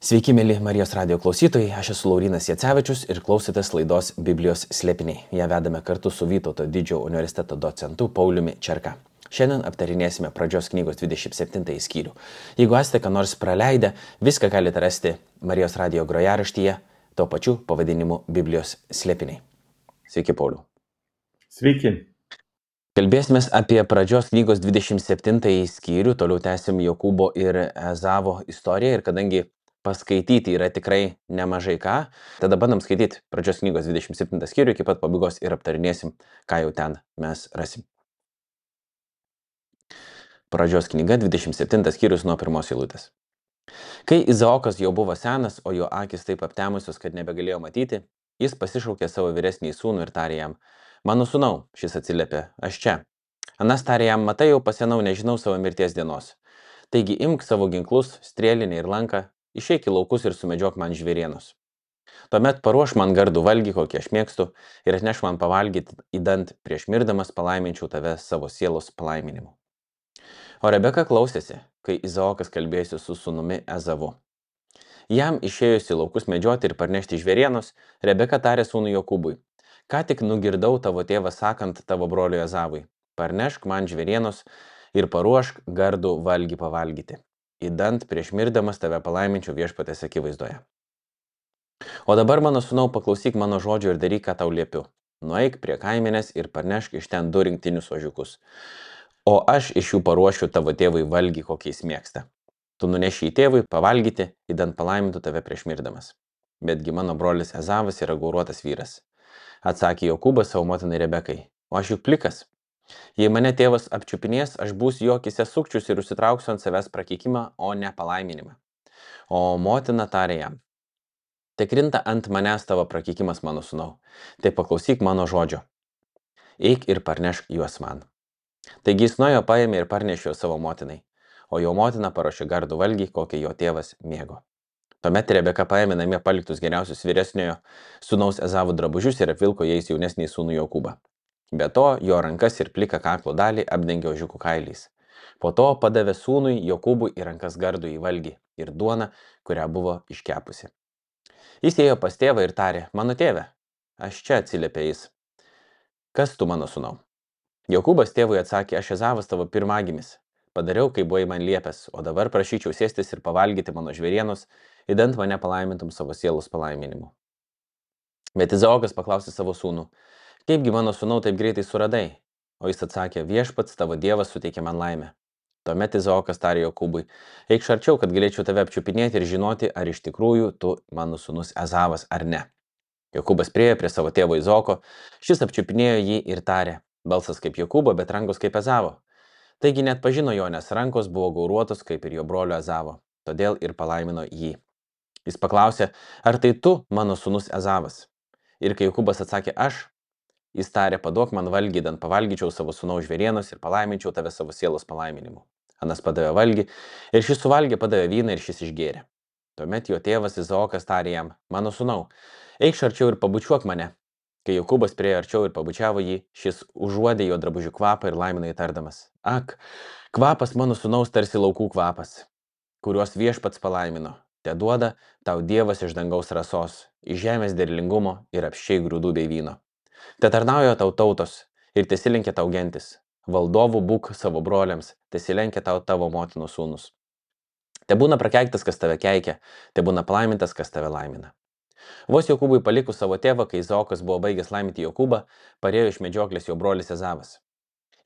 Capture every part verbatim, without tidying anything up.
Sveiki, mėly Marijos radijo klausytojai, aš esu Laurynas Jacevičius ir klausotės laidos Biblijos slėpiniai. Ją vedame kartu su Vytauto didžiojo universiteto docentu Pauliumi Čerka. Šiandien aptarinėsime pradžios knygos dvidešimt septintąjį skyrių. Jeigu esate ką nors praleidę, viską galite rasti Marijos radijo grojaraštyje, tuo pačiu pavadinimu Biblijos slėpiniai. Sveiki, Pauliu. Sveiki. Kalbėsime apie pradžios knygos dvidešimt septintąjį skyrių, toliau tęsim Jokūbo ir Ezavo istoriją ir kadangi paskaityti yra tikrai nemažai ką, tada bandom skaityti pradžios knygos dvidešimt septintą skyrių iki pat pabaigos ir aptarinėsim, ką jau ten mes rasim. Pradžios knyga dvidešimt septintas skyrius nuo pirmos eilutės. Kai Izaokas jau buvo senas, o jo akis taip aptemusios, kad nebegalėjo matyti, jis pasišaukė savo vyresnį sūnų ir tarė jam: "Mano sūnau," šis atsiliepė, "aš čia." Anas tarė jam: "Matai, jau pasenau, nežinau savo mirties dienos. Taigi imk savo ginklus, strėlinę ir lanką, išeik į laukus ir sumedžiok man žvėrienus. Tuomet paruoš man gardų valgį, kokį aš mėgstu, ir atneš man pavalgyti įdant, prieš mirdamas palaiminčiau tave savo sielos palaiminimu." O Rebeka klausėsi, kai Izaokas kalbėjosi su sūnumi Ezavu. Jam išėjus į laukus medžioti ir parnešti žvėrienus, Rebeka tarė sūnui Jokūbui: "Ką tik nugirdau tavo tėvą sakant tavo broliui Ezavui: parnešk man žvėrienus ir paruošk gardų valgį pavalgyti. Įdant prieš mirdamas tave palaiminčiau viešpatės akivaizdoje. O dabar, mano sūnau, paklausyk mano žodžio ir daryk, ką tau liepiu. Nueik prie kaimenės ir parnešk iš ten du rinktinius ožiukus. O aš iš jų paruošiu tavo tėvui valgį, kokį jis mėgsta. Tu nuneši į tėvui pavalgyti, įdant palaimintų tave prieš mirdamas. Betgi mano brolis Ezavas yra gauruotas vyras." Atsakė Jokūbas savo motinai Rebekai: "O aš juk plikas. Jei mane tėvas apčiupinės, aš būsiu jo akyse sukčius ir užsitrauksiu ant savęs prakeikimą, o ne palaiminimą." O motina tarė jam: "Te krinta ant manęs tavo prakeikimas, mano sūnau, tai paklausyk mano žodžio. Eik ir parnešk juos man." Taigi jis nuėjo, paėmė ir parnešė juos savo motinai, o jo motina paruošė gardų valgį, kokį jo tėvas mėgo. Tuomet Rebeka paėmė namie paliktus geriausius vyresniojo sūnaus Ezavo drabužius ir apvilko jais jaunesnį sūnų Jokūbą. Be to, jo rankas ir pliką kaklo dalį apdengė ožiukų kailiais. Po to padavė sūnui Jokūbui į rankas gardų į valgį ir duoną, kurią buvo iškepusi. Jis ėjo pas tėvą ir tarė: "Mano tėve." "Aš čia," atsiliepė jis. "Kas tu, mano sūnau?" Jokūbas tėvui atsakė: "Aš Ezavas tavo pirmagimis. Padariau, kaip buvai man liepęs, o dabar prašyčiau sėstis ir pavalgyti mano žvėrienus, įdant mane palaimintum savo sielos palaiminimu." Bet Izaokas paklausė savo sūnų: "Kaipgi, mano sūnau, taip greitai suradai?" O jis atsakė: "Viešpats tavo dievas suteikė man laimę." Tuomet Izaokas tarė Jokūbui: "Eik arčiau, kad galėčiau tave apčiupinėti ir žinoti, ar iš tikrųjų tu mano sūnus Ezavas ar ne." Jokūbas priėjo prie savo tėvo Izaoko, šis apčiupinėjo jį ir tarė: "Balsas kaip Jokūbo, bet rankos kaip Ezavo." Taigi net pažino jo, nes rankos buvo gauruotos kaip ir jo brolio Ezavo, todėl ir palaimino jį. Jis paklausė: "Ar tai tu, mano sūnus Ezavas?" Ir kai Jokūbas atsakė: "Aš," jis tarė: "Paduok man valgį, įdant pavalgyčiau savo sūnaus žvėrienus ir palaiminčiau tave savo sielos palaiminimu." Anas padavė valgį ir šis suvalgė, padavė vyną ir šis išgėrė. Tuomet jo tėvas Izaokas tarė jam: "Mano sūnau, eikš arčiau ir pabučiuok mane." Kai Jokūbas priėjo arčiau ir pabučiavo jį, šis užuodė jo drabužių kvapą ir laimino įtardamas: "Ak, kvapas mano sūnaus tarsi laukų kvapas, kuriuos viešpats palaimino. Te duoda tau Dievas iš dangaus rasos, iš žemės derlingumo ir apsčiai grūdų bei vyno. Te tarnauja tau tautos ir tesilenkia tau gentis. Valdovų būk savo broliams, tesilenkia tau tavo motinos sūnus. Te būna prakeiktas, kas tave keikia, te būna palaimintas, kas tave laimina." Vos Jokūbui palikus savo tėvą, kai Izaokas buvo baigęs laiminti Jokūbą, parėjo iš medžioklės jo brolis Ezavas.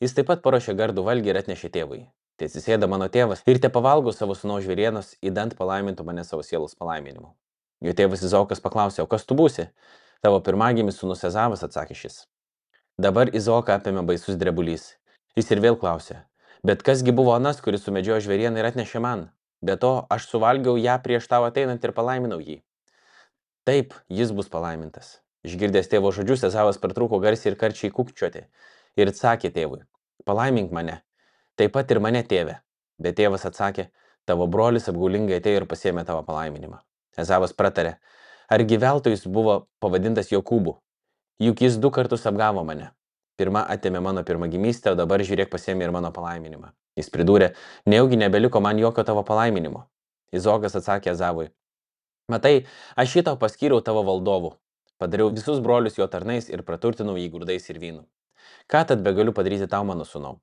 Jis taip pat paruošė gardų valgį ir atnešė tėvui. "Te atsisėda mano tėvas ir te pavalgo savo sūnaus žvėrienos, įdant palaimintų mane savo sielos palaiminimu." Jo tėvas Izaokas paklausė: "O kas tu būsi?" "Tavo pirmagimis sūnus Ezavas," atsakė šis. Dabar Izaoką apėmė baisus drebulys. Jis ir vėl klausė: "Bet kasgi buvo anas, kuris sumedžiojo žvėrieną ir atnešė man? Be to, aš suvalgiau ją prieš tau ateinant ir palaiminau jį." "Taip, jis bus palaimintas." Išgirdęs tėvo žodžius, Ezavas pertrūko garsiai ir karčiai kūkčioti ir atsakė tėvui: "Palaimink mane, taip pat ir mane, tėve." Bet tėvas atsakė: "Tavo brolis apgaulingai atėjo ir pasiėmė tavo palaiminimą." Ezavas pratarė: "Argi veltui jis buvo pavadintas Jokūbu? Juk jis du kartus apgavo mane. Pirma atėmė mano pirmagimystę, o dabar žiūrėk pasiėmė ir mano palaiminimą." Jis pridūrė: "Nejaugi nebeliko man jokio tavo palaiminimo." Izaokas atsakė Ezavui: Matai, aš jį tau paskyriau tavo valdovu. Padariau visus brolius jo tarnais ir praturtinau jį grūdais ir vynu. Ką tad begaliu padaryti tau, mano sūnau?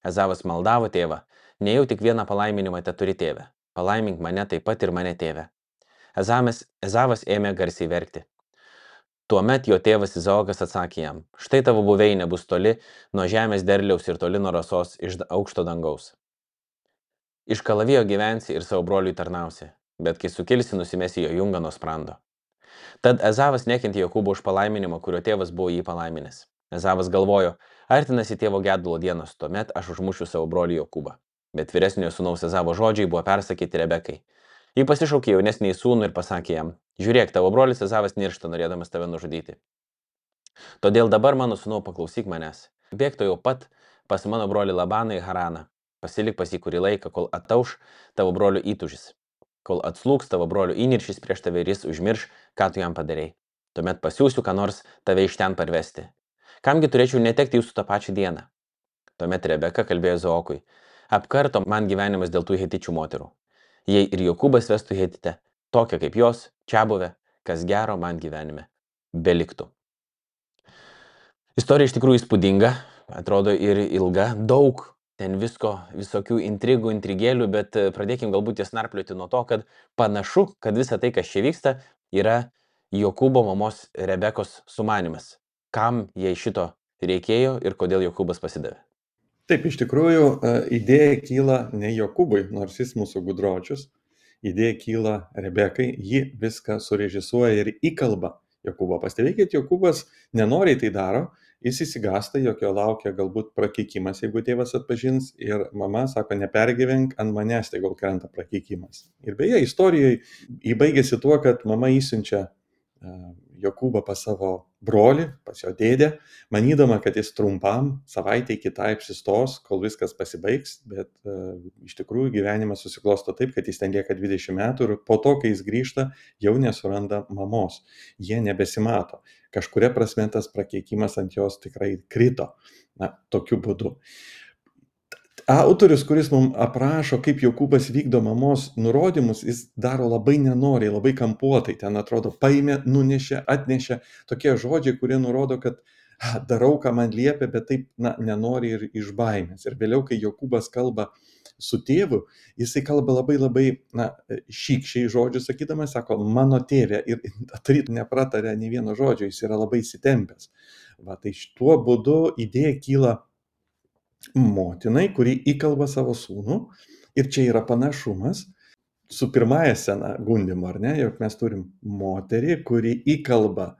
Ezavas maldavo tėvą, nejau tik vieną palaiminimą te turi tėve. Palaimink mane taip pat ir mane tėve. Ezamas, Ezavas ėmė garsiai verkti. Tuomet jo tėvas Izaokas atsakė jam, štai tavo buveinė bus toli nuo žemės derliaus ir toli nuo rasos iš aukšto dangaus. Iš kalavijo gyvensi ir savo broliui tarnausi, bet kai sukilsi, nusimesi jo jungą nuo sprando. Tad Ezavas nekentė Jokūbo už palaiminimą, kurio tėvas buvo jį palaiminęs. Ezavas galvojo, artinasi tėvo gedulo dienos, tuomet aš užmušiu savo brolį Jokūbą. Bet vyresniojo sūnaus Ezavo žodžiai buvo persakyti Rebekai. Ji pasišaukė jaunesnįjį sūnų ir pasakė jam, žiūrėk, tavo brolis Ezavas niršta, norėdamas tave nužudyti. Todėl dabar, mano sūnau, paklausyk manęs. Bėk to jau pat pas mano brolį Labaną į Haraną. Pasilik pas jį kurį laiką, kol atauš tavo brolio įtūžis. Kol atslūks tavo brolio įniršis prieš tave ir jis užmirš, ką tu jam padarei. Tuomet pasiūsiu, ką nors tave iš ten parvesti. Kamgi turėčiau netekti jūsų tą pačią dieną? Tuomet Rebeka kalbėjo Izaokui, apkarto man gyvenimas dėl tų hetičių moterų. Jei ir Jokūbas vestų hetite, tokia kaip jos, čiabuvė, kas gero man gyvenime beliktų. Istorija iš tikrųjų įspūdinga, atrodo ir ilga, daug ten visko, visokių intrigų, intrigėlių, bet pradėkim galbūt jas narplioti nuo to, kad panašu, kad visa tai, kas čia vyksta, yra Jokūbo mamos Rebekos sumanimas. Kam jai šito reikėjo ir kodėl Jokūbas pasidavė? Taip, iš tikrųjų, idėja kyla ne Jokūbui, nors jis mūsų gudročius. Idėja kyla Rebekai, ji viską surežisuoja ir įkalba Jokūbą. Pastebėkit, Jokūbas nenoriai tai daro, jis įsigasta, jog jo laukia galbūt prakeikimas, jeigu tėvas atpažins, ir mama sako, nepergyvenk, ant manęs tai gal krenta prakeikimas. Ir beje, istorijoje įbaigėsi tuo, kad mama įsiunčia Jokūbą pas savo brolį, pas jo dėdę, manydama, kad jis trumpam, savaitę kitai apsistos, kol viskas pasibaigs, bet uh, iš tikrųjų gyvenimas susiklosto taip, kad jis ten lieka dvidešimt metų ir po to, kai jis grįžta, jau nesuranda mamos. Jie nebesimato. Kažkuria prasme tas prakeikimas ant jos tikrai krito. Na, tokiu būdu. Autorius, kuris mums aprašo, kaip Jokūbas vykdo mamos nurodymus, jis daro labai nenoriai, labai kampuotai. Ten atrodo, paėmė, nunešė, atnešė. Tokie žodžiai, kurie nurodo, kad a, darau, ką man liepia, bet taip na, nenori ir iš baimės. Ir vėliau, kai Jokūbas kalba su tėvu, jisai kalba labai labai na, šykščiai žodžius, sakydamas, sako, mano tėvė, ir taryt nepratarė nei vieno žodžio, jis yra labai įsitempęs. Va, tai šituo būdu idėja kyla motinai, kuri įkalba savo sūnų, ir čia yra panašumas su pirmąja scena gundymo, ar ne, jog mes turim moterį, kuri įkalba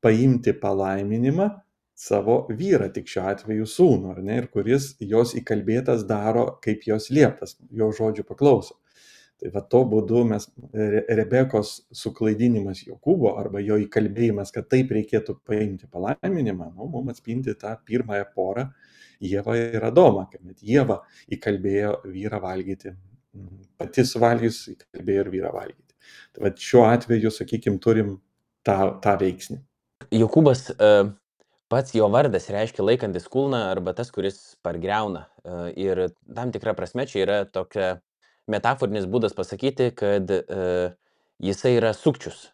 paimti palaiminimą savo vyrą, tik šiuo atveju sūnų, ar ne, ir kuris jos įkalbėtas daro, kaip jos lieptas, jo žodžių paklauso. Tai va to būdu mes Rebekos suklaidinimas Jokūbo arba jo įkalbėjimas, kad taip reikėtų paimti palaiminimą, nu, mums atspindi tą pirmąją porą, Ievą ir Adomą, kad Ieva įkalbėjo vyrą valgyti, pati suvalgius įkalbėjo ir vyrą valgyti. Tai va šiuo atveju, sakykime, turim tą, tą veiksnį. Jokūbas, pats jo vardas reiškia laikantis kulną arba tas, kuris pargriauna. Ir tam tikra prasme čia yra tokia metaforinis būdas pasakyti, kad jisai yra sukčius.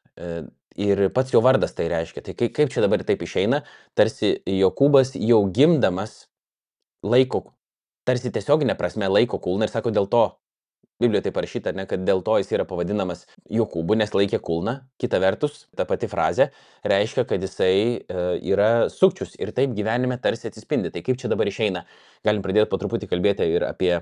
Ir pats jo vardas tai reiškia. Tai kaip čia dabar taip išeina, tarsi Jokūbas jau gimdamas laiko, tarsi tiesioginė prasme laiko kulną ir sako, dėl to, Biblijoje tai parašyta, ne, kad dėl to jis yra pavadinamas Jokūbu, nes laikė kulną. Kita vertus, ta pati frazė reiškia, kad jisai e, yra sukčius ir taip gyvenime tarsi atsispindi. Tai kaip čia dabar išeina? Galim pradėti po truputį kalbėti ir apie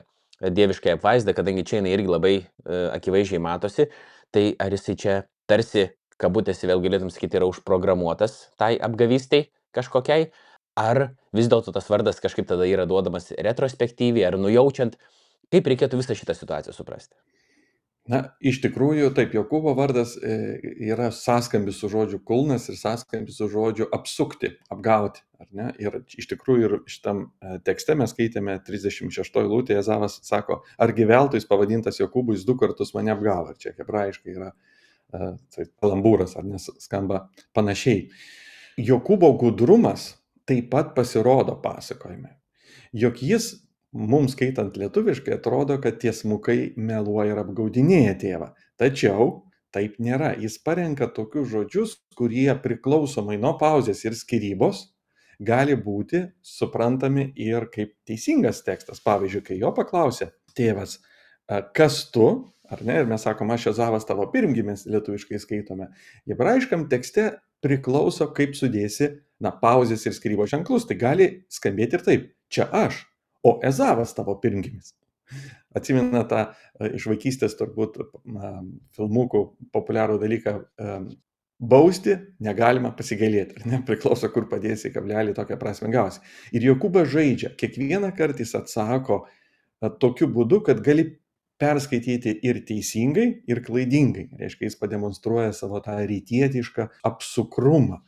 dieviškąją apvaizdą, kadangi čia jinai irgi labai e, akivaizdžiai matosi. Tai ar jisai čia tarsi, kabutėsi vėl galėtum sakyti, yra užprogramuotas tai apgavystai kažkokiai? Ar vis dėlto tas vardas kažkaip tada yra duodamas retrospektyviai, ar nujaučiant, kaip reikėtų visą šitą situaciją suprasti? Na, iš tikrųjų, taip, Jokūbo vardas yra sąskambis su žodžiu kulnas ir sąskambis su žodžiu apsukti, apgauti, ar ne? Ir iš tikrųjų ir šitam tekste mes skaitėme trisdešimt šeštoj eilutėje, Ezavas sako, argi veltui jis pavadintas Jokūbu, jis du kartus mane apgavo. Ir čia hebrajiškai yra tai kalambūras, ar nes skamba panašiai. Jokūbo gudrumas taip pat pasirodo pasakojime, jog jis, mums skaitant lietuviškai, atrodo, kad tiesmukai meluoja ir apgaudinėja tėvą. Tačiau taip nėra. Jis parenka tokius žodžius, kurie priklausomai nuo pauzės ir skyrybos gali būti suprantami ir kaip teisingas tekstas. Pavyzdžiui, kai jo paklausė tėvas, kas tu, ar ne, ir mes sakom, aš Ezavas tavo pirmgimis, lietuviškai skaitome, hebrajiškam tekste priklauso, kaip sudėsi, na, pauzės ir skyrybos ženklus. Tai gali skambėti ir taip, čia aš, o Ezavas tavo pirmgimis. Atsimena tą iš vaikystės turbūt na, filmukų populiarų dalyką bausti negalima pasigailėti, ar ne, priklauso, kur padėsi kablelį, tokią prasmę gausi. Ir Jokūbas žaidžia, kiekvieną kartą jis atsako tokiu būdu, kad gali perskaityti ir teisingai, ir klaidingai. Reiškia, jis pademonstruoja savo tą rytietišką apsukrumą.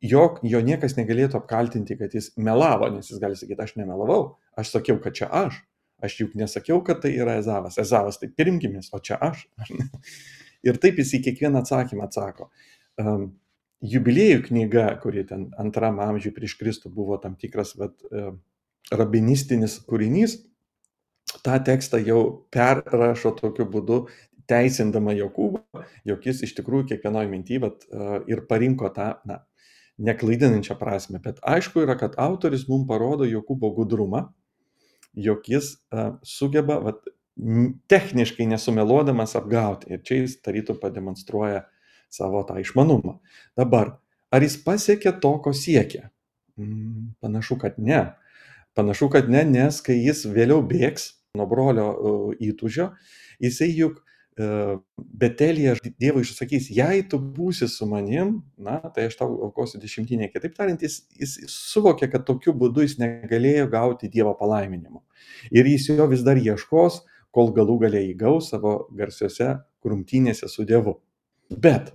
Jo, jo niekas negalėtų apkaltinti, kad jis melavo, nes jis gali sakyti, aš nemelavau, aš sakiau, kad čia aš. Aš juk nesakiau, kad tai yra Ezavas. Ezavas tai pirmgimis, o čia aš. Ir taip jis į kiekvieną atsakymą atsako. Um, jubiliejų knyga, kuri ten antram amžiui prieš Kristų buvo tam tikras vat, uh, rabinistinis kūrinys, tą tekstą jau perrašo tokiu būdu, teisindama Jokūbą, jog jis iš tikrųjų kiekvienoje mintyje vat, uh, ir parinko tą na, neklaidinančią prasme. Bet aišku yra, kad autoris mums parodo Jokūbo gudrumą, jog jis uh, sugeba vat, techniškai nesumeluodamas apgauti. Ir čia jis tarytum pademonstruoja savo tą išmanumą. Dabar, ar jis pasiekė to, ko siekia? Mm, panašu, kad ne. Panašu, kad ne, nes kai jis vėliau bėgs nuo brolio uh, įtūžio, jisai juk uh, Betelyje Dievui išsakys, jei tu būsi su manim, na, tai aš tau aukosiu dešimtinę. Kitaip tariant, jis, jis suvokė, kad tokiu būdu jis negalėjo gauti Dievo palaiminimo. Ir jis jo vis dar ieškos, kol galų galiai įgaus savo garsiose grumtynėse su Dievu. Bet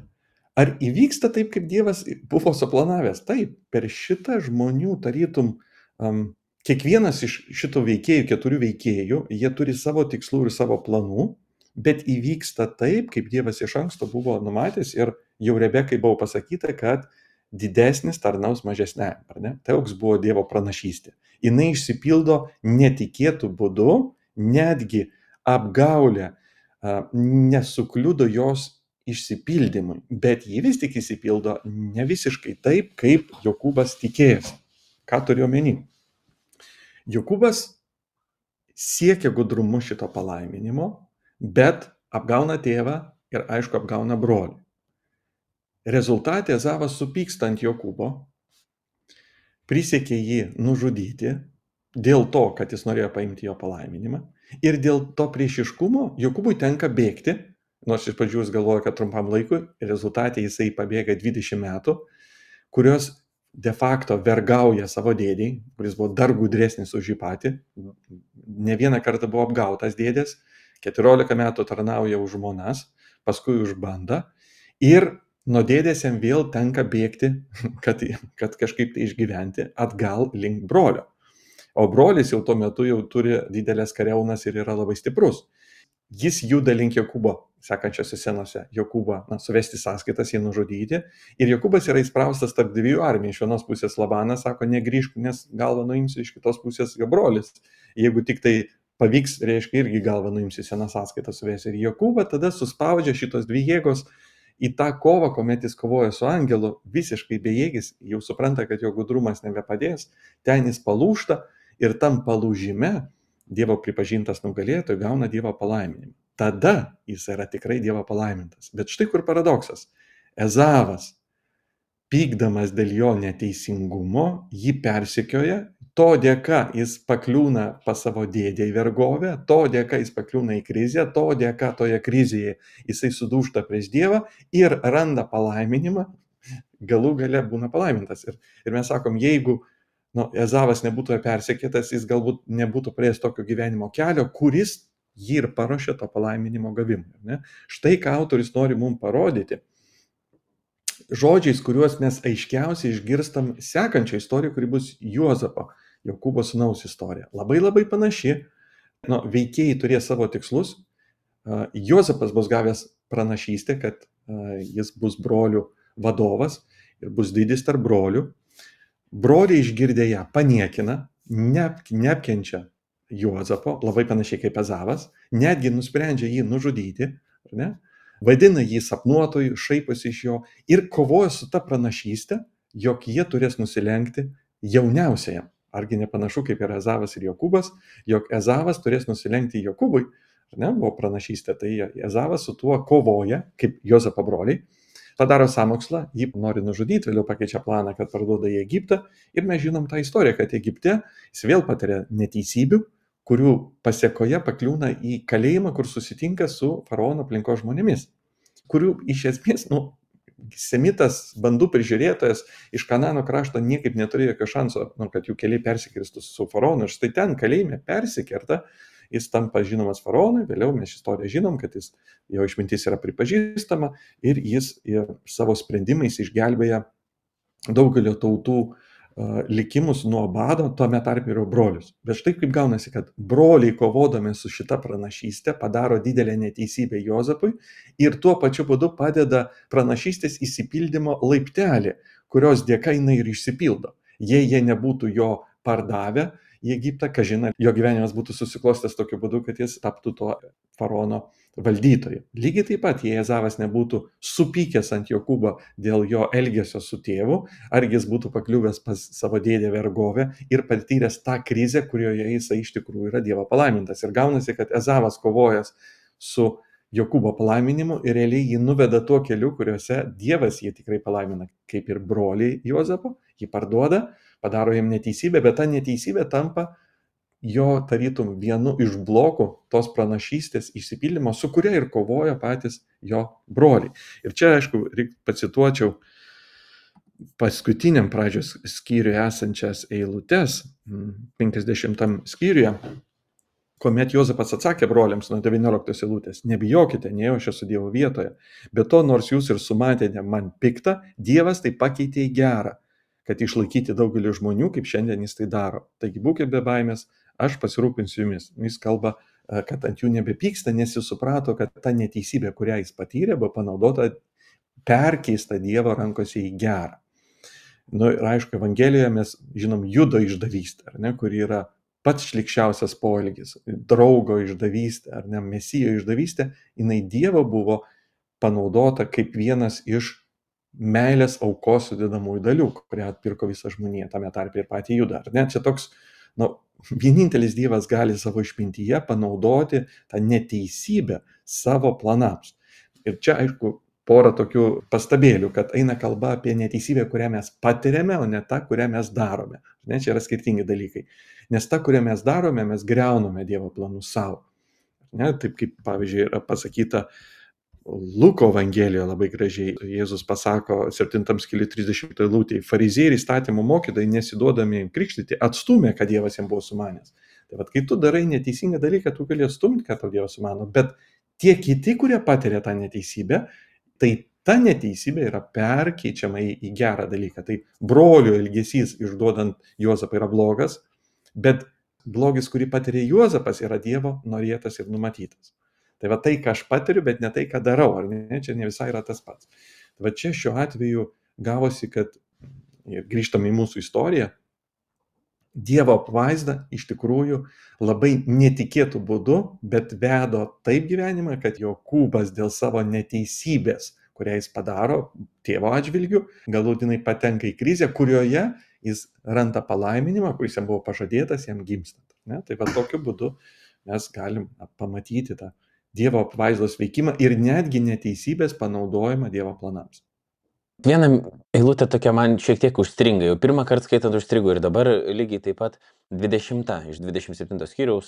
ar įvyksta taip, kaip Dievas buvo suplanavęs? Taip, per šitą žmonių tarytum, um, kiekvienas iš šitų veikėjų, keturių veikėjų, jie turi savo tikslų ir savo planų, bet įvyksta taip, kaip Dievas iš anksto buvo numatęs ir jau Rebekai buvo pasakyta, kad didesnis tarnaus mažesniam, ar ne? Toks buvo Dievo pranašystė. Jinai išsipildo netikėtų būdu, netgi apgaulė nesukliudo jos išsipildymui, bet ji vis tik išsipildo ne visiškai taip, kaip Jokūbas tikėjosi. Ką turiu omeny? Jokūbas siekia gudrumu šito palaiminimo, bet apgauna tėvą ir aišku apgauna brolį. Rezultate Ezavas supyksta ant Jokūbo, prisiekė jį nužudyti dėl to, kad jis norėjo paimti jo palaiminimą ir dėl to priešiškumo Jokūbui tenka bėgti, nors iš pradžių jis galvoja, kad trumpam laikui, rezultate jisai pabėga dvidešimt metų, kurios de facto vergauja savo dėdei, kuris buvo dar gudresnis už jį patį, ne vieną kartą buvo apgautas dėdės, keturiolika metų tarnauja už žmonas, paskui už bandą ir nuo dėdės jam vėl tenka bėgti, kad, kad kažkaip tai išgyventi atgal link brolio. O brolis jau tuo metu jau turi didelės kariaunas ir yra labai stiprus. Jis juda link Jokūbo, sekančiose scenose, Jokūbą na, suvesti sąskaitas, jį nužudyti. Ir Jokūbas yra įspraustas tarp dviejų armijų. Iš vienos pusės Labanas sako, negrįžk, nes galvą nuimsiu, iš kitos pusės jo brolis. Jeigu tik tai pavyks, reiškia, irgi galvą nuimsiu, seną sąskaitą suvesti. Ir Jokūbą tada suspaudžia šitos dvi jėgos į tą kovą, kuomet jis kovoja su angelu, visiškai bejėgis, jau supranta, kad jo gudrumas nebepadės, ten jis palūžta ir tam palūžime Dievo pripažintas nugalėtojų gauna Dievo palaiminimą. Tada jis yra tikrai Dievo palaimintas. Bet štai kur paradoksas. Ezavas, pykdamas dėl jo neteisingumo, jį persekioja, to dėka jis pakliūna pas savo dėdę į vergovę, to dėka jis pakliūna į krizę, to dėka toje krizėje jisai sudūžta prieš Dievą ir randa palaiminimą, galų gale būna palaimintas. Ir, ir mes sakom, jeigu nu, Ezavas nebūtų persekėtas, jis galbūt nebūtų praėjęs tokio gyvenimo kelio, kuris jį ir paruošė to palaiminimo gavimui. Ne? Štai ką autoris nori mums parodyti. Žodžiais, kuriuos mes aiškiausiai išgirstam sekančią istoriją, kuri bus Juozapo, Jokūbo sūnaus istorija. Labai labai panaši. Nu, veikėjai turės savo tikslus. Juozapas bus gavęs pranašystę, kad jis bus brolių vadovas ir bus didis tarp brolių. Broliai išgirdę ją paniekina, neap, neapkenčia Juozapo, labai panašiai kaip Ezavas, netgi nusprendžia jį nužudyti. Ne? vadina jį sapnuotoju, šaiposi iš jo ir kovoja su ta pranašyste, jog jie turės nusilenkti jauniausiajam. Argi nepanašu kaip ir Ezavas ir Jokūbas, jog Ezavas turės nusilenkti Jokūbui, ar ne, buvo pranašystė, tai Ezavas su tuo kovoja, kaip Jozapo broliai, padaro sąmokslą, jį nori nužudyti, vėliau pakeičia planą, kad parduoda į Egiptą ir mes žinom tą istoriją, kad Egipte jis vėl patiria neteisybių, kurių pasiekoje pakliūna į kalėjimą, kur susitinka su faraono aplinkos žmonėmis, kurių iš esmės, nu, semitas, bandų prižiūrėtojas iš Kanano krašto niekaip neturėjo jokio šanso, nu, kad jų keliai persikirstų su faraonu. Ir štai ten kalėjime persikerta, jis tampa žinomas faraonui, vėliau mes istoriją žinom, kad jis, jo išmintis yra pripažįstama ir jis ir savo sprendimais išgelbėja daugelio tautų uh, likimus nuo bado, tuome tarp ir brolius. Bet štai kaip gaunasi, kad broliai kovodami su šita pranašystė padaro didelę neteisybę Jozapui ir tuo pačiu būdu padeda pranašystės įsipildymo laiptelį, kurios dėka jinai ir išsipildo. Jei jie nebūtų jo pardavę į Egiptą, kažina, jo gyvenimas būtų susiklostęs tokiu būdu, kad jis taptų to faraono valdytoju. Lygiai taip pat, jei Ezavas nebūtų supykęs ant Jokūbo dėl jo elgesio su tėvu, argi jis būtų pakliuvęs pas savo dėdę vergovę ir patyręs tą krizę, kurioje jis iš tikrųjų yra Dievo palaimintas. Ir gaunasi, kad Ezavas kovojas su Jokūbo palaiminimu ir realiai jį nuveda tuo keliu, kuriuose Dievas jį tikrai palaimina, kaip ir broliai Jozapo, jį parduoda, padaro jam neteisybę, bet ta neteisybė tampa jo tarytum vienu iš blokų tos pranašystės išsipildymo, su kuria ir kovoja patys jo broliai. Ir čia, aišku, reik pacituočiau paskutiniam pradžios skyriui esančias eilutes, penkiasdešimtam skyriuje, kuomet Jozapas atsakė broliams nuo devynioliktos eilutės: nebijokite, nei aš esu Dievo vietoje, bet to, nors jūs ir sumatėte man piktą, Dievas tai pakeitė į gerą, kad išlaikyti daugelį žmonių, kaip šiandien jis tai daro. Taigi būkite be baimės, aš pasirūpinsiu jumis. Jis kalba, kad ant jų nebepyksta, nes jis suprato, kad ta neteisybė, kurią jis patyrė, buvo panaudota, perkeista Dievo rankose į gerą. Nu, ir aišku, Evangelijoje mes žinom Judo išdavystę, ar ne, kuri yra pats šlikščiausias poelgis, draugo išdavystė, ar ne, Mesijo išdavystė, jinai Dievo buvo panaudota kaip vienas iš meilės aukos sudedamųjų dalių, kurią atpirko visą žmoniją, tame tarpe ir patį Judą. Ar ne? Čia toks, nu, vienintelis Dievas gali savo išmintyje panaudoti tą neteisybę savo planams. Ir čia, aišku, porą tokių pastabėlių, kad eina kalba apie neteisybę, kurią mes patiriame, o ne tą, kurią mes darome. Ne, čia yra skirtingi dalykai. Nes tą, kurią mes darome, mes greuname Dievo planus savo. Ne, taip kaip, pavyzdžiui, yra pasakyta Luko Evangelijoje labai gražiai. Jėzus pasako septintam skyriui trisdešimtoj eilutėje: fariziejai ir įstatymo mokytojai, nesiduodami krikštyti, atstūmė, kad Dievas jiems buvo sumanęs. Tai vad, kai tu darai neteisingą dalyką, tu gali atstumti, kad tau Dievas sumano, bet tie kiti, kurie patiria tą neteisybę, tai ta neteisybė yra perkeičiama į, į gerą dalyką. Tai brolio elgesys išduodant Juozapą yra blogas, bet blogis, kurį patiria Juozapas, yra Dievo norėtas ir numatytas. Tai va tai, ką aš patiriu, bet ne tai, ką darau, ar ne, čia ne visai yra tas pats. Tai va čia šiuo atveju gavosi, kad, ir grįžtam į mūsų istoriją, Dievo apvaizda iš tikrųjų labai netikėtų būdu, bet vedo taip gyvenimą, kad Jokūbas dėl savo neteisybės, kurią jis padaro tėvo atžvilgiu, galutinai patenka į krizę, kurioje jis randa palaiminimą, kuris jam buvo pažadėtas, jam gimstant. Ne? Tai va tokiu būdu mes galim pamatyti tą Dievo apvaizdos veikimą ir netgi neteisybės panaudojimą Dievo planams. Viena eilutė tokia man šiek tiek užstringa, jau pirmą kartą skaitant užstrigo ir dabar lygiai taip pat dvidešimta iš dvidešimt septinto skyriaus,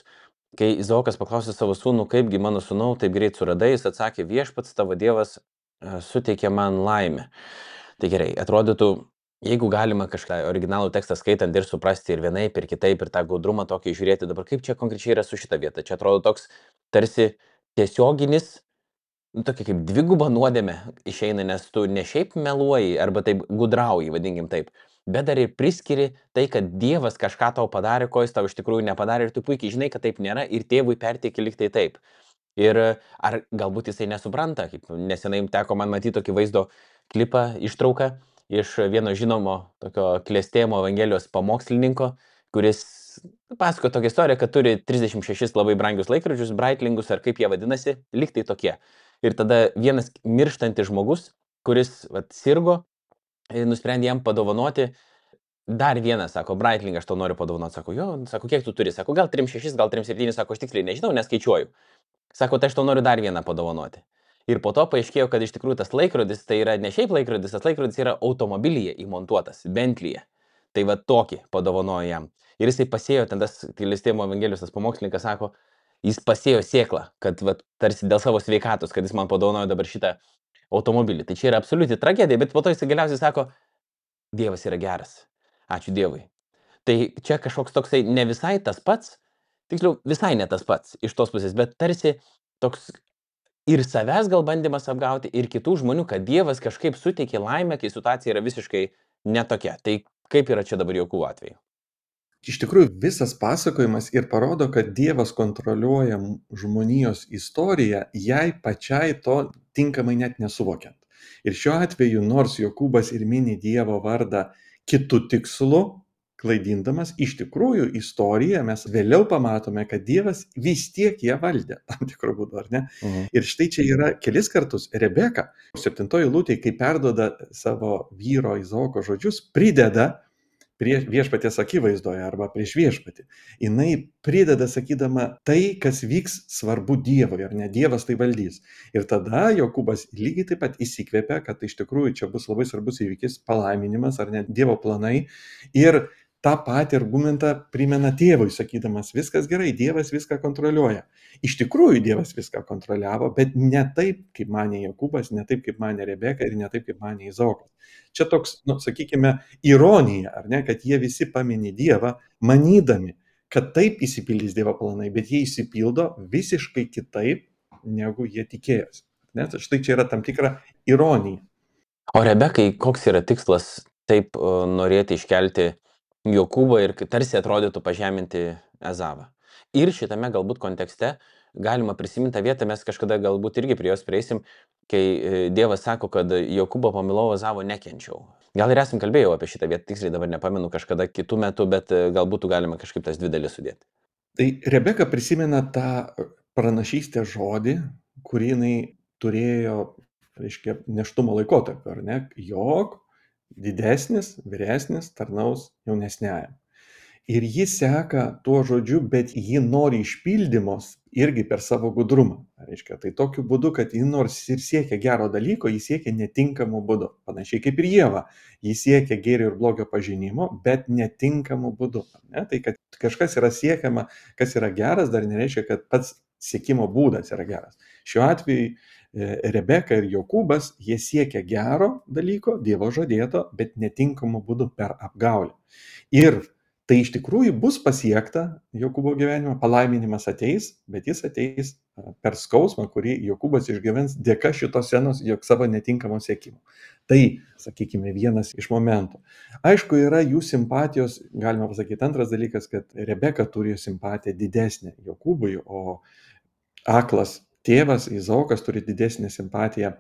kai Izaokas paklausė savo sūnų, kaipgi mano sūnau taip greit suradai, jis atsakė: viešpats tavo Dievas suteikė man laimę. Tai gerai, atrodytų, jeigu galima kažką originalų tekstą skaitant ir suprasti ir vienaip, ir kitaip, ir tą gaudrumą tokį žiūrėti, dabar kaip čia konkrečiai yra su šita vieta? Čia atrodo toks tarsi tiesioginis, nu, tokia kaip dviguba nuodėmė išeina, nes tu ne šiaip meluoji arba taip gudrauji, vadinkim taip, bet dar ir priskiri tai, kad Dievas kažką tau padarė, ko jis tau iš tikrųjų nepadarė, ir tu puikiai žinai, kad taip nėra, ir tėvui perteiki lyg tai taip. Ir ar galbūt jisai nesupranta, kaip nesenai teko man matyti tokį vaizdo klipą, ištrauką iš vieno žinomo tokio klestėjimo Evangelijos pamokslininko, kuris pasako tokią istoriją, kad turi trisdešimt šešis labai brangius laikrodžius, Breitlingus, ar kaip jie vadinasi, lyg tai tokie. Ir tada vienas mirštantis žmogus, kuris vat, sirgo, nusprendė jam padovanoti dar vieną, sako, Breitling, aš to noriu padovanoti. Sako, jo, sako, kiek tu turi? Sako, gal trim šešis, gal trim septynis, sako, aš tiksliai nežinau, neskaičiuoju. Sako, tai aš to noriu dar vieną padovanoti. Ir po to paaiškėjo, kad iš tikrųjų tas laikrodis, tai yra ne šiaip laikrodis, tas laikrodis yra automobilyje įmontuotas, Bentley'e. Tai va tokį padovanojo jam. Ir jisai pasėjo, ten tas Gailestingumo Evangelijos tas pamokslininkas sako, jis pasėjo sėklą, kad va, tarsi dėl savo sveikatos, kad jis man padovanojo dabar šitą automobilį. Tai čia yra absoliuti tragedija, bet po to jisai galiausiai sako, Dievas yra geras. Ačiū Dievui. Tai čia kažkoks toksai ne visai tas pats, tiksliau visai ne tas pats iš tos pusės, bet tarsi toks ir savęs gal bandymas apgauti, ir kitų žmonių, kad Dievas kažkaip suteikė laimę, kai situacija yra visiškai netokia. Tai kaip yra čia dabar Jokūbo atveju? Iš tikrųjų, visas pasakojimas ir parodo, kad Dievas kontroliuoja žmonijos istoriją, jai pačiai to tinkamai net nesuvokiant. Ir šiuo atveju, nors Jokūbas ir mini Dievo vardą kitų tikslų, klaidindamas, iš tikrųjų istoriją mes vėliau pamatome, kad Dievas vis tiek ją valdė, tam tikrų būdų, ar ne? Mhm. Ir štai čia yra kelis kartus Rebeka, septintoji eilutė, kai perduoda savo vyro Izaoko žodžius, prideda prie viešpaties akivaizdoje arba prieš viešpatį. Jinai prideda sakydama tai, kas vyks svarbu Dievui, ar ne, Dievas tai valdys. Ir tada Jokūbas lygiai taip pat įsikvėpia, kad iš tikrųjų čia bus labai svarbus įvykis, palaiminimas ar ne Dievo planai. Ir tą patį argumentą primena tėvui, sakydamas, viskas gerai, Dievas viską kontroliuoja. Iš tikrųjų Dievas viską kontroliavo, bet ne taip, kaip manė Jokūbas, ne taip, kaip manė Rebeka ir ne taip, kaip manė Izaokas. Čia toks, nu, sakykime, ironija, ar ne, kad jie visi pamini Dievą, manydami, kad taip įsipildys Dievo planai, bet jie įsipildo visiškai kitaip, negu jie tikėjosi. Ne? Štai čia yra tam tikra ironija. O Rebekai, koks yra tikslas taip uh, norėti iškelti Jokūbą ir tarsi atrodytų pažeminti Ezavą? Ir šitame galbūt kontekste galima prisiminti tą vietą, mes kažkada galbūt irgi prie jos prieisim, kai Dievas sako, kad Jokūbą pamilau, Ezavo nekenčiau. Gal ir esam kalbėjau apie šitą vietą, tiksliai dabar nepamenu kažkada kitų metų, bet galbūt galima kažkaip tas dvi dalis sudėti. Tai Rebeka prisimena tą pranašystės žodį, kurį jinai turėjo, reiškia, neštumo laikotarpį, ar ne, jog didesnis, vyresnis tarnaus jaunesniajam. Ir jis seka tuo žodžiu, bet ji nori išpildymos irgi per savo gudrumą. Reiškia, tai tokiu būdu, kad ji nors ir siekia gero dalyko, ji siekia netinkamų būdų. Panašiai kaip ir Ieva, ji siekia gėrio ir blogio pažinimo, bet netinkamų būdų. Ne? Tai kad kažkas yra siekiama, kas yra geras, dar nereiškia, kad pats siekimo būdas yra geras. Šiuo atveju Rebeka ir Jokūbas, jie siekia gero dalyko, Dievo žadėto, bet netinkamų būdų per apgaulę. Ir tai iš tikrųjų bus pasiekta Jokūbo gyvenime, palaiminimas ateis, bet jis ateis per skausmą, kurį Jokūbas išgyvens dėka šitos scenos, jog savo netinkamo siekimo. Tai, sakykime, vienas iš momentų. Aišku, yra jų simpatijos, galima pasakyti, antras dalykas, kad Rebeka turi simpatiją didesnę Jokūbui, o aklas tėvas Izaokas turi didesnę simpatiją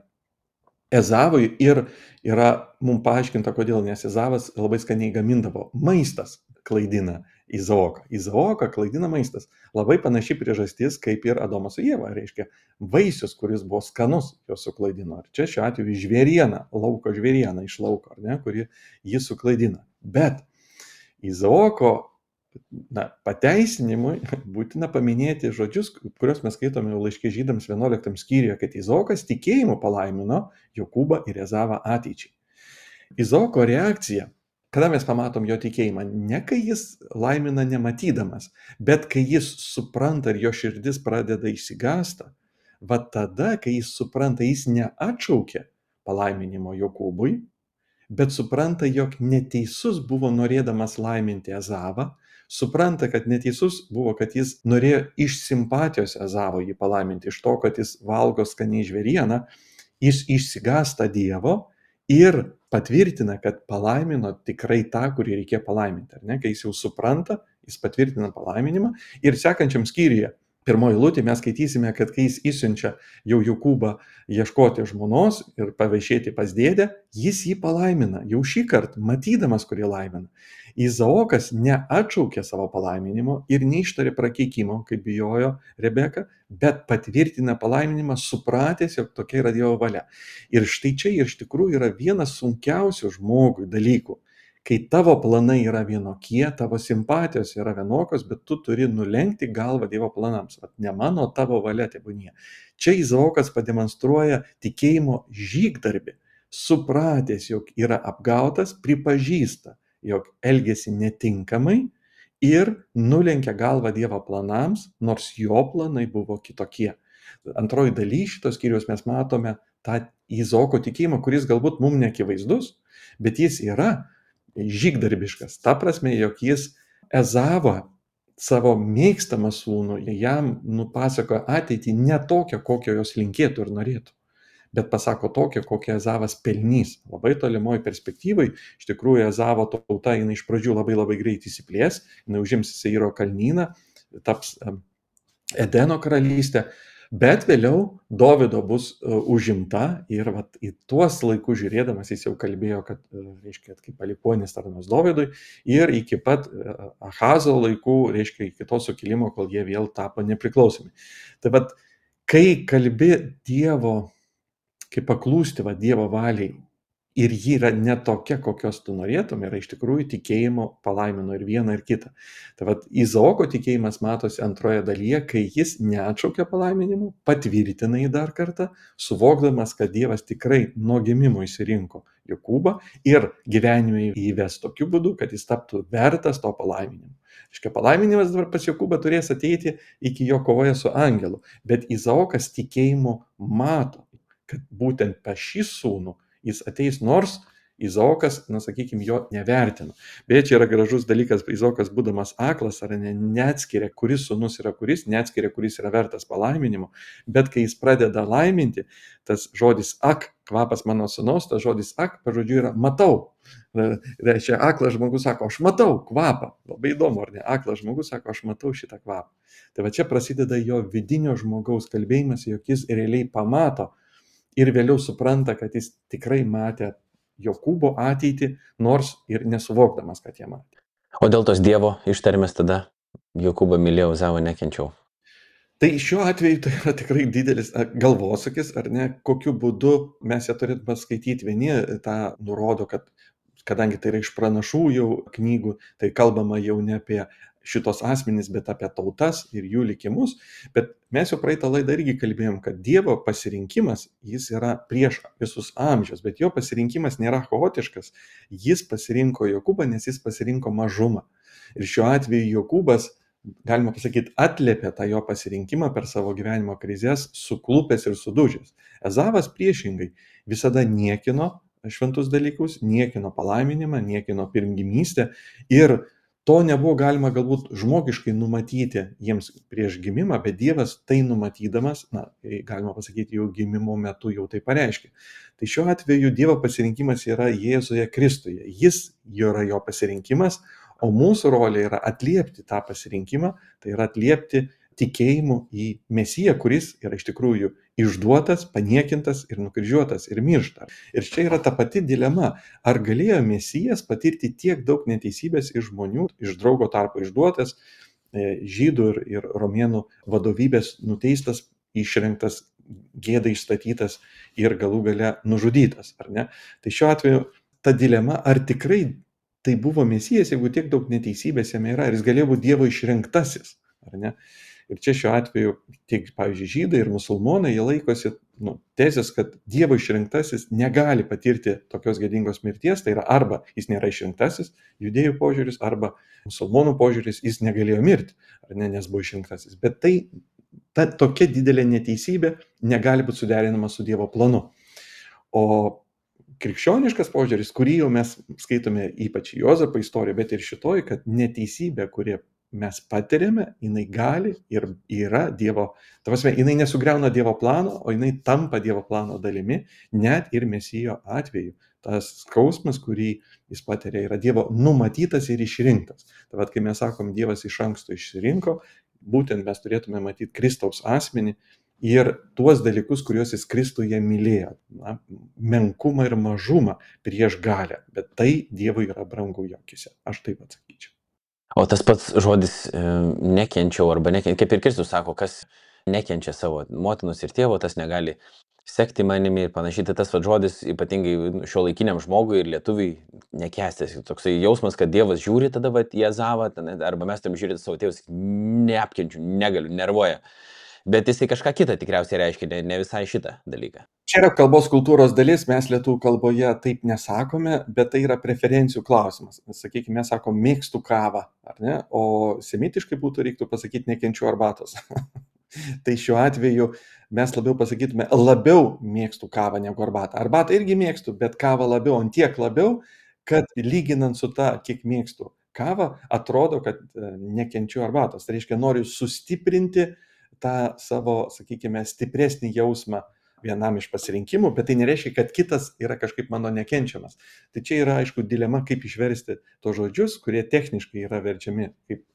Ezavui ir yra mums paaiškinta, kodėl, nes Ezavas labai skaniai gamindavo. Maistas klaidina Izaoką. Izaoką klaidina maistas. Labai panaši priežastis, kaip ir Adomas su Ieva, reiškia vaisius, kuris buvo skanus, jos suklaidino. Ir čia šiuo atveju žvėriena, lauko žvėriena iš lauko, ar ne, kuri jį suklaidina. Bet Izaoko na, pateisinimui būtina paminėti žodžius, kuriuos mes skaitome laiške Žydams vienuoliktam skyriuje, kad Izaokas tikėjimu palaimino Jokūbą ir Ezavą ateičiai. Izaoko reakcija, kada mes pamatom jo tikėjimą, ne kai jis laimina nematydamas, bet kai jis supranta ir jo širdis pradeda išsigąsta, va tada, kai jis supranta, jis neatšaukia palaiminimo Jokūbui, bet supranta, jog neteisus buvo norėdamas laiminti Ezavą, supranta, kad neteisus buvo, kad jis norėjo iš simpatijos Ezavo jį palaiminti, iš to, kad jis valgo skaniai žvėrieną, jis išsigąsta Dievo ir patvirtina, kad palaimino tikrai tą, kurį reikėjo palaiminti. Ar ne? Kai jis jau supranta, jis patvirtina palaiminimą ir sekančiam skyriuje pirmoji eilutė mes skaitysime, kad kai jis išsiunčia jau Jokūbą ieškoti žmonos ir pavaišėti pas dėdę, jis jį palaimina. Jau šį kartą, matydamas, kurį laimina. Izaokas neatšaukė savo palaiminimo ir neištarė prakeikimo, kaip bijojo Rebeka, bet patvirtina palaiminimą, supratęs, jog tokia yra Dievo valia. Ir štai čia iš tikrųjų yra vienas sunkiausių žmogui dalykų. Kai tavo planai yra vienokie, tavo simpatijos yra vienokios, bet tu turi nulenkti galvą Dievo planams. Vat ne mano, tavo valia tebūnie. Čia Izaokas pademonstruoja tikėjimo žygdarbį, supratęs, jog yra apgautas, pripažįsta, jog elgėsi netinkamai ir nulenkia galvą Dievo planams, nors jo planai buvo kitokie. Antroji daly šitos skyriaus mes matome tą Izaoko tikėjimą, kuris galbūt mums neakivaizdus, bet jis yra žygdarbiškas. Ta prasme, jog jis Ezavą, savo mėgstamą sūnų, jam nupasakoja ateitį ne tokią, kokio jos linkėtų ir norėtų, bet pasako tokią, kokią Ezavas pelnys. Labai tolimoj perspektyvai, iš tikrųjų, Ezavo tauta, jinai iš pradžių labai labai greit įsiplės, jinai užims Seiro kalnyną, taps Edeno karalystė, bet vėliau Dovydo bus uh, užimta ir vat, į tuos laikus žiūrėdamas jis jau kalbėjo, kad, uh, reiškia, kaip palikuonis tarnaus Dovydui ir iki pat uh, Ahazo laikų, reiškia, iki to sukilimo, kol jie vėl tapo nepriklausomi. Tai vat, kai kalbi Dievo, kai paklūsti va, Dievo valiai ir ji yra ne tokia, kokios tu norėtum, yra iš tikrųjų tikėjimo palaimino ir vieną ir kitą. Tai vad, Izaoko tikėjimas matosi antroje dalyje, kai jis neatšaukia palaiminimų, patvirtina jį dar kartą, suvokdamas, kad Dievas tikrai nuo gimimo išsirinko Jokūbą ir gyvenime įves tokiu būdu, kad jis taptų vertas to palaiminimo. Iškia, palaiminimas dabar pas Jokūbą turės ateiti iki jo kovoje su angelu, bet Izaokas tikėjimu mato, kad būtent pas šį sūnų jis ateis, nors Izaokas, na sakykime, jo nevertino. Beje, čia yra gražus dalykas, Izaokas būdamas aklas, ar ne, neatskiria, kuris sūnus yra kuris, neatskiria, kuris yra vertas palaiminimo, bet kai jis pradeda laiminti, tas žodis ak, kvapas mano sūnaus, tas žodis ak, pažodžiu yra matau. Reiškia, aklas žmogus sako, aš matau kvapą. Labai įdomu, ar ne? Aklas žmogus sako, aš matau šitą kvapą. Tai va čia prasideda jo vidinio žmogaus kalbėjimas, jog jis realiai pamato ir vėliau supranta, kad jis tikrai matė Jokūbo ateitį, nors ir nesuvokdamas, kad jie matė. O dėl tos Dievo ištarmės tada Jokūbą mylėjau, Ezavą nekenčiau. Tai šiuo atveju tai yra tikrai didelis galvosūkis, ar ne, kokiu būdu mes ją turėtume skaityti. Vieni tą nurodo, kad kadangi tai yra iš pranašų jau knygų, tai kalbama jau ne apie šitos asmenys, bet apie tautas ir jų likimus. Bet mes jau praeitą laidą irgi kalbėjom, kad Dievo pasirinkimas, jis yra prieš visus amžius, bet jo pasirinkimas nėra chaotiškas. Jis pasirinko Jokūbą, nes jis pasirinko mažumą. Ir šiuo atveju Jokūbas, galima pasakyti, atliepė tą jo pasirinkimą per savo gyvenimo krizės, suklupęs ir sudužęs. Ezavas priešingai visada niekino šventus dalykus, niekino palaiminimą, niekino pirmgimystę ir to nebuvo galima galbūt žmogiškai numatyti jiems prieš gimimą, bet Dievas tai numatydamas, na, galima pasakyti, jau gimimo metu jau tai pareiškė. Tai šiuo atveju Dievo pasirinkimas yra Jėzuje Kristuje. Jis yra jo pasirinkimas, o mūsų rolė yra atliepti tą pasirinkimą, tai yra atliepti tikėjimu į Mesiją, kuris yra iš tikrųjų išduotas, paniekintas ir nukryžiuotas ir miršta. Ir čia yra ta pati dilema, ar galėjo Mesijas patirti tiek daug neteisybės iš žmonių, iš draugo tarpo išduotas, žydų ir, ir romėnų vadovybės nuteistas, išrinktas, gėdai išstatytas ir galų gale nužudytas, ar ne? Tai šiuo atveju ta dilema, ar tikrai tai buvo Mesijas, jeigu tiek daug neteisybės jame yra, ar jis galėjo būti Dievo išrinktasis, ar ne? Ir čia šiuo atveju tiek, pavyzdžiui, žydai ir musulmonai, jie laikosi nu, tezės, kad Dievo išrinktasis negali patirti tokios gėdingos mirties, tai yra arba jis nėra išrinktasis, judėjų požiūris, arba musulmonų požiūris, jis negalėjo mirti, ar ne, nes buvo išrinktasis. Bet tai, ta tokia didelė neteisybė negali būti suderinama su Dievo planu. O krikščioniškas požiūris, kurį jau mes skaitome ypač Juozapo istorijoje, bet ir šitoj, kad neteisybė, kurie mes patiriame, jinai gali ir yra Dievo, ta prasme, jinai nesugriauna Dievo plano, o jinai tampa Dievo plano dalimi, net ir Mesijo atveju. Tas skausmas, kurį jis patiria, yra Dievo numatytas ir išrinktas. Tai vad, kai mes sakom, Dievas iš anksto išsirinko, būtent mes turėtume matyti Kristaus asmenį ir tuos dalykus, kuriuos jis Kristuje mylėjo. Na, menkumą ir mažumą prieš galę. Bet tai Dievui yra brangu jo akise. Aš taip atsakyčiau. O tas pats žodis e, nekenčiau arba nekenčiau, kaip ir Kristus sako, kas nekenčia savo motinos ir tėvo, tas negali sekti manimi ir panašiai. Tai tas va žodis ypatingai šio laikiniam žmogui ir lietuviui nekestės. Toksai jausmas, kad Dievas žiūri tada va į Ezavą, arba mes tam žiūrėti savo tėvus, neapkenčiu, negaliu, nervuoja. Bet jisai kažką kitą tikriausiai reiškia, ne, ne visai šitą dalyką. Čia yra kalbos kultūros dalis, mes lietuvių kalboje taip nesakome, bet tai yra preferencijų klausimas. Sakykime, mes sakom, mėgstu kavą, ar ne? O semitiškai būtų reiktų pasakyti, nekenčiu arbatos. Tai šiuo atveju mes labiau pasakytume, labiau mėgstu kavą negu arbatą. Arbatą irgi mėgstu, bet kavą labiau, ant tiek labiau, kad lyginant su ta, kiek mėgstu kavą, atrodo, kad nekenčiu arbatos. Tai reiškia, noriu sustiprinti tą savo, sakykime, stipresnį jausmą vienam iš pasirinkimų, bet tai nereiškia, kad kitas yra kažkaip mano nekenčiamas. Tai čia yra, aišku, dilema, kaip išversti tos žodžius, kurie techniškai yra verčiami, kaip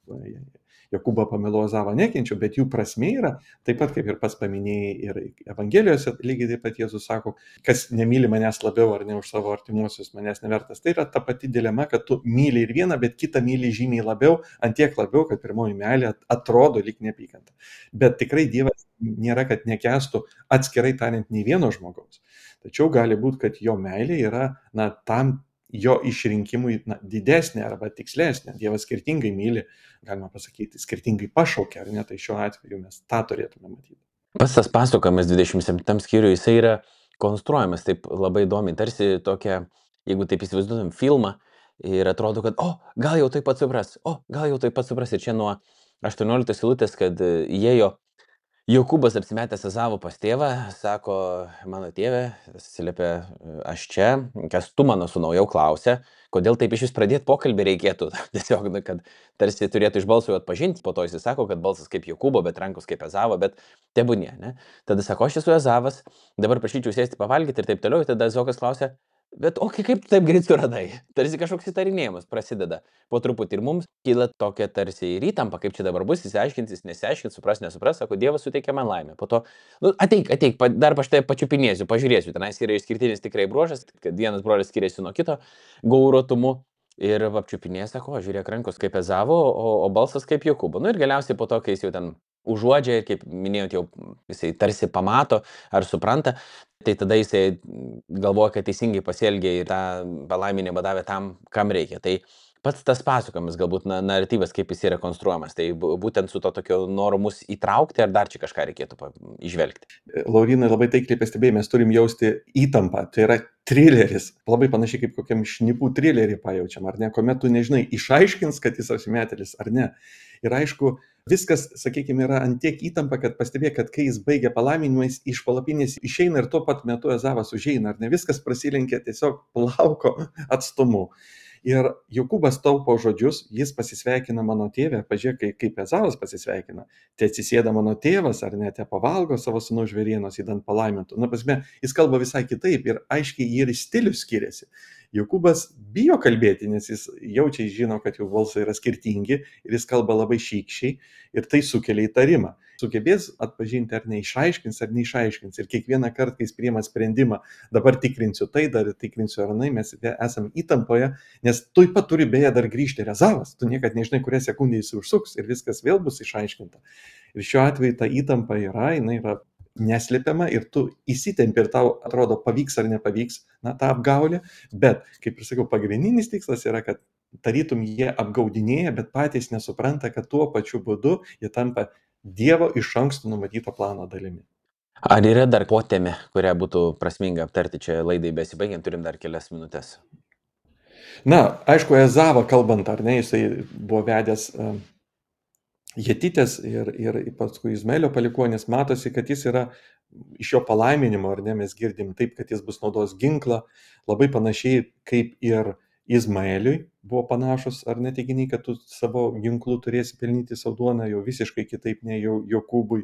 Jokūbą pamilo Ezavą nekenčiu, bet jų prasmė yra, taip pat kaip ir pats paminėjai ir Evangelijose, lygiai taip pat Jėzus sako, kas nemyli manęs labiau ar ne už savo artimuosius, manęs nevertas. Tai yra ta pati dilema, kad tu myli ir vieną, bet kitą myli žymiai labiau, antiek labiau, kad pirmoji meilė atrodo lyg neapykanta. Bet tikrai Dievas nėra, kad nekęstų atskirai tariant nei vieno žmogaus. Tačiau gali būti, kad jo meilė yra na, tam jo išrinkimui na, didesnė arba tikslesnė. Dievas skirtingai myli, galima pasakyti, skirtingai pašaukia, ar ne, tai šiuo atveju mes tą turėtume matyti. Pats tas pasakojimas dvidešimt septintam skyriui, jisai yra konstruojamas taip labai įdomiai, tarsi tokia, jeigu taip įsivaizduotum filmą ir atrodo, kad, o, gal jau taip pat supras, o, gal jau taip pat supras. Ir čia nuo aštuonioliktos eilutės, kad įėjo Jokūbas apsimetęs Ezavo pas tėvą, sako, mano tėve, atsiliepė, aš čia, kas tu mano sūnau, jau klausė, kodėl taip iš vis pradėti pokalbį reikėtų, tiesiog, kad tarsi turėtų iš balso jau atpažinti, po to jis sako, kad balsas kaip Jokūbo, bet rankos kaip Ezavo, bet tebūnie, ne? Tada sako, aš esu Ezavas, dabar prašyčiau sėsti pavalgyti ir taip toliau, ir tada Ezokas klausė, bet o kaip tu taip greit suradai? Tarsi kažkoks įtarinėjimas prasideda po truputį ir mums kyla tokia tarsi ir įtampa, kaip čia dabar bus, įsiaiškintis, nesiaiškins, supras, nesupras, sako, Dievas suteikia man laimę. Po to, nu, ateik, ateik, dar aš tai pačiupinėsiu, pažiūrėsiu, tenais yra išskirtinis tikrai bruožas, kad vienas brolis skiriasi nuo kito gauruotumu ir apčiupinė, sako, žiūrėk, rankos kaip Ezavo, o, o balsas kaip Jokūbo. Nu ir galiausiai po to, kai jis jau ten užuodžia ir, kaip minėjot, jau jisai tarsi pamato ar supranta, tai tada jisai galvoja, kad teisingai pasielgė ir tą palaiminimą davė tam, kam reikia. Tai pats tas pasakojimas, galbūt na, naratyvas, kaip jis yra konstruojamas, tai būtent su to tokio noru mus įtraukti, ar dar čia kažką reikėtų įžvelgti? Laurinai, labai taikliai pastebėjai, mes turim jausti įtampą, tai yra trileris, labai panašiai kaip kokiam šnipų trilerį pajaučiam, ar ne, kuomet tu nežinai, išaiškins, kad jis apsimetėlis ar ne. Ir aišku, viskas, sakykime, yra ant tiek įtampa, kad pastebė, kad kai jis baigia palaiminimą, jis iš palapinės išeina ir tuo pat metu Ezavas užeina, ar ne, viskas prasilenkia tiesiog plauko atstumu. Ir Jokūbas taupo žodžius, jis pasisveikina mano tėvę, pažiūrėk, kaip, kaip Ezavas pasisveikina, te atsisėda mano tėvas, ar ne, te pavalgo savo sūnaus žvėrienos įdant palaimintų. Na, pasme, jis kalba visai kitaip ir aiškiai ir stilius skiriasi. Jokūbas bijo kalbėti, nes jis jaučiai žino, kad jų balsai yra skirtingi ir jis kalba labai šykščiai ir tai sukelia įtarimą. Sugebės atpažinti, ar neišaiškins, ar neišaiškins. Ir kiekvieną kartą, kai jis priima sprendimą, dabar tikrinsiu tai, dar tikrinsiu ar nai, mes esame įtampoje, nes tuoj pat turi beje dar grįžti ir Ezavas. Tu niekad nežinai, kurią sekundę jis užsuks ir viskas vėl bus išaiškinta. Ir šiuo atveju ta įtampa yra, jinai yra neslėpiama ir tu įsitempi ir tau atrodo pavyks ar nepavyks, na, tą apgaulę, bet, kaip ir sakiau, pagrindinis tikslas yra, kad tarytum jie apgaudinėja, bet patys nesupranta, kad tuo pačiu būdu jie tampa Dievo iš anksto numatyto plano dalimi. Ar yra dar potėmė, kurią būtų prasminga aptarti čia laidai besibaigiant, turim dar kelias minutės? Na, aišku, Ezavą kalbant, ar ne, jisai buvo vedęs uh, Jetitės ir, ir paskui Izmaelio palikuonis, matosi, kad jis yra iš jo palaiminimo, ar ne, mes girdim taip, kad jis bus naudos ginklą, labai panašiai kaip ir Izmaeliui buvo panašus, ar ne teiginiai, kad tu savo ginklų turėsi pelnyti savo duoną, jau visiškai kitaip nei jau Jokūbui.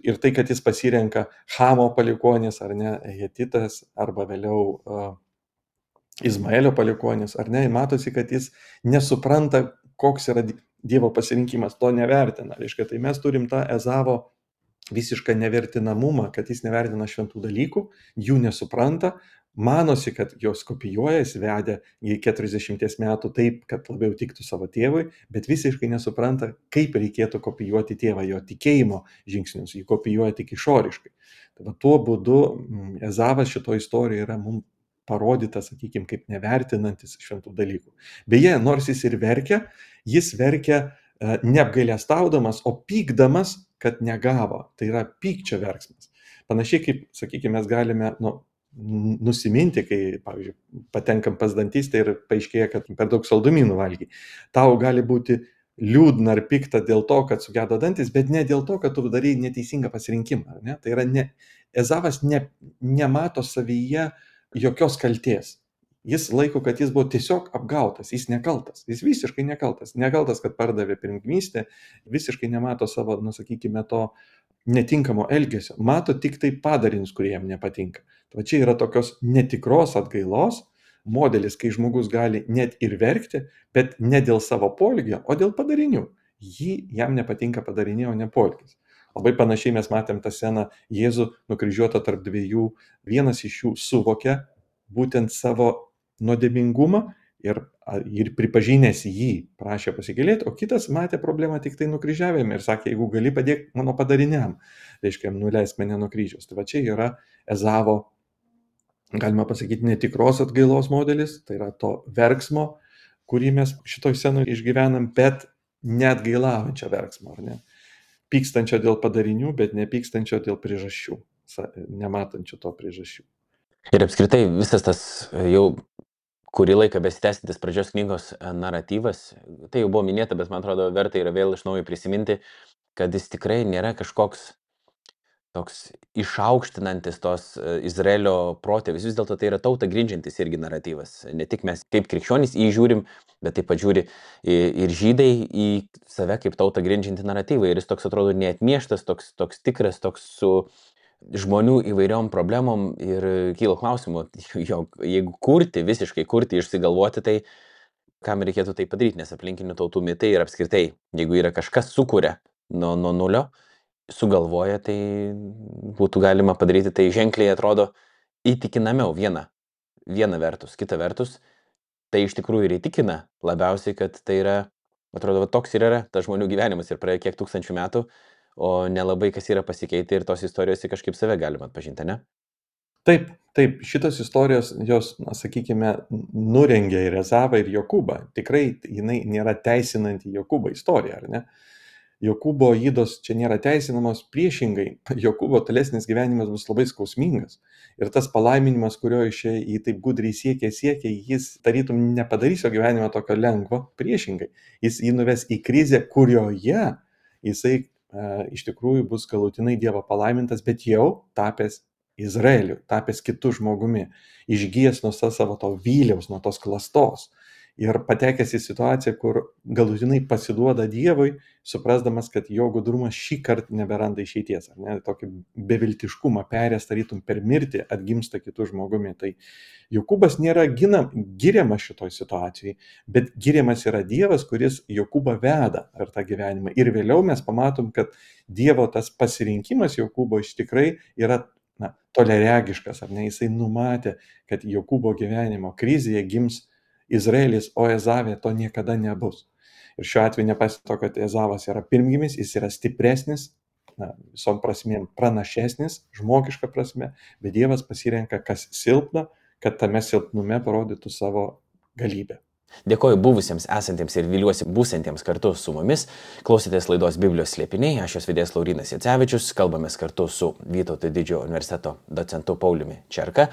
Ir tai, kad jis pasirenka Chamo palikuonis, ar ne, Jetitas, arba vėliau uh, Izmaelio palikuonis, ar ne, matosi, kad jis nesupranta, koks yra Dievo pasirinkimas to nevertina. Reiškia, tai mes turim tą Ezavo visišką nevertinamumą, kad jis nevertina šventų dalykų, jų nesupranta, manosi, kad jos kopijuoja, jis vedė į keturiasdešimties metų taip, kad labiau tiktų savo tėvui, bet visiškai nesupranta, kaip reikėtų kopijuoti tėvą, jo tikėjimo žingsnius, jį kopijuoja tik išoriškai. Tai va, tuo būdu Ezavas šito istorijoje yra mums parodytas, sakykime, kaip nevertinantis šventų dalykų. Beje, nors jis ir verkia, jis verkia neapgailestaudamas, o pykdamas, kad negavo. Tai yra pykčio verksmas. Panašiai kaip, sakykime, mes galime nu, nusiminti, kai, pavyzdžiui, patenkam pas dantistą ir paaiškėja, kad per daug saldumynų valgy. Tau gali būti liūdna ar pikta dėl to, kad sugedo dantis, bet ne dėl to, kad tu darai neteisingą pasirinkimą. Ne? Tai yra ne, Ezavas ne, nemato savyje jokios kaltės. Jis laiko, kad jis buvo tiesiog apgautas, jis nekaltas, jis visiškai nekaltas. Nekaltas, kad pardavė pirmgimystę, visiškai nemato savo, nu, sakykime, to netinkamo elgesio. Mato tik tai padarinius, kurie jam nepatinka. Tai čia yra tokios netikros atgailos modelis, kai žmogus gali net ir verkti, bet ne dėl savo poelgio, o dėl padarinių. Jį, jam nepatinka padariniai, o ne poelgis. Labai panašiai mes matėm tą sceną Jėzų nukryžiuotą tarp dviejų. Vienas iš jų suvokė būtent savo nuodėmingumą ir, ir pripažinęs jį prašė pasigailėti, o kitas matė problemą tik tai nukryžiavime ir sakė, jeigu gali padėk mano padariniam, reiškia, nuleisk mane nuo kryžiaus. Tai va čia yra Ezavo, galima pasakyti, netikros atgailos modelis, tai yra to verksmo, kurį mes šitoj scenoje išgyvenam, bet neatgailaujančio verksmo, ar ne? Pykstančio dėl padarinių, bet nepykstančio dėl priežasčių, nematančio to priežasčių. Ir apskritai visas tas jau kurį laiką besitęsintis pradžios knygos naratyvas, tai jau buvo minėta, bet man atrodo verta yra vėl iš naujo prisiminti, kad jis tikrai nėra kažkoks toks išaukštinantis tos Izraelio protėvius. Vis dėlto tai yra tautą grindžiantis irgi naratyvas. Ne tik mes kaip krikščionys į jį žiūrim, bet taip pat žiūri ir žydai į save kaip tautą grindžiantį naratyvą. Ir jis toks atrodo neatmieštas, toks, toks tikras, toks su žmonių įvairiom problemom ir kyla klausimų, jeigu kurti, visiškai kurti, išsigalvoti, tai kam reikėtų tai padaryti, nes aplinkinių tautų mitai ir apskritai, jeigu yra kažkas sukuria nuo, nuo nulio, sugalvoja, tai būtų galima padaryti, tai ženkliai atrodo įtikinamiau viena, viena vertus, kita vertus, tai iš tikrųjų ir įtikina labiausiai, kad tai yra, atrodo, toks ir yra tas žmonių gyvenimas ir praėjo kiek tūkstančių metų, o nelabai kas yra pasikeitę ir tos istorijos kažkaip save galima atpažinti, ne? Taip, taip, šitos istorijos, jos, na, sakykime, nurengia ir Ezavą, ir Jokūbą. Tikrai jinai nėra teisinanti Jokūbo istorija, ar ne? Jokūbo ydos čia nėra teisinamos, priešingai, Jokūbo tolesnis gyvenimas bus labai skausmingas. Ir tas palaiminimas, kurio iš jį taip gudriai siekia, siekia, jis tarytum nepadarys jo gyvenimą tokio lengvo, priešingai. Jis jį nuves į krizę, kurioje jisai e, iš tikrųjų bus galutinai Dievo palaimintas, bet jau tapęs Izraeliu, tapęs kitų žmogumi, išgijęs nuo savo to vyliaus, nuo tos klastos. Ir patekęs į situaciją, kur galutinai pasiduoda Dievui, suprasdamas, kad jo gudrumas šį kartą neberanda išeities, ar ne, tokį beviltiškumą perės, tarytum per mirtį atgimsta kitų žmogumi. Tai Jokūbas nėra gina, giriamas šitoj situacijai, bet giriamas yra Dievas, kuris Jokūbą veda per tą gyvenimą. Ir vėliau mes pamatom, kad Dievo tas pasirinkimas Jokūbo iš tikrai yra na, toleregiškas, ar ne, jisai numatė, kad Jokūbo gyvenimo krizėje gims Izraelis, o Ezavė to niekada nebus. Ir šiuo atveju nepasito, kad Ezavas yra pirmgimis, jis yra stipresnis, na, visom prasmėm pranašesnis, žmogiška prasme, bet Dievas pasirenka, kas silpna, kad tame silpnume parodytų savo galybę. Dėkoju buvusiems, esantiems ir viliuosi būsantiems kartu su mumis. Klausėtės laidos Biblijos slėpiniai, aš jos vedėjas Laurynas Jacevičius, kalbamės kartu su Vytauto Didžiojo universiteto docentu Pauliumi Čerka.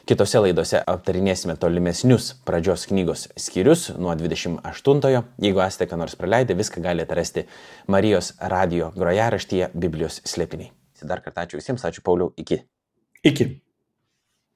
Kitose laidose aptarinėsime tolimesnius pradžios knygos skyrius nuo dvidešimt aštuntojo. Jeigu esate ką nors praleidę, viską galite rasti Marijos radijo grojaraštyje Biblijos slėpiniai. Dar kartą ačiū visiems, ačiū Pauliau, iki. Iki.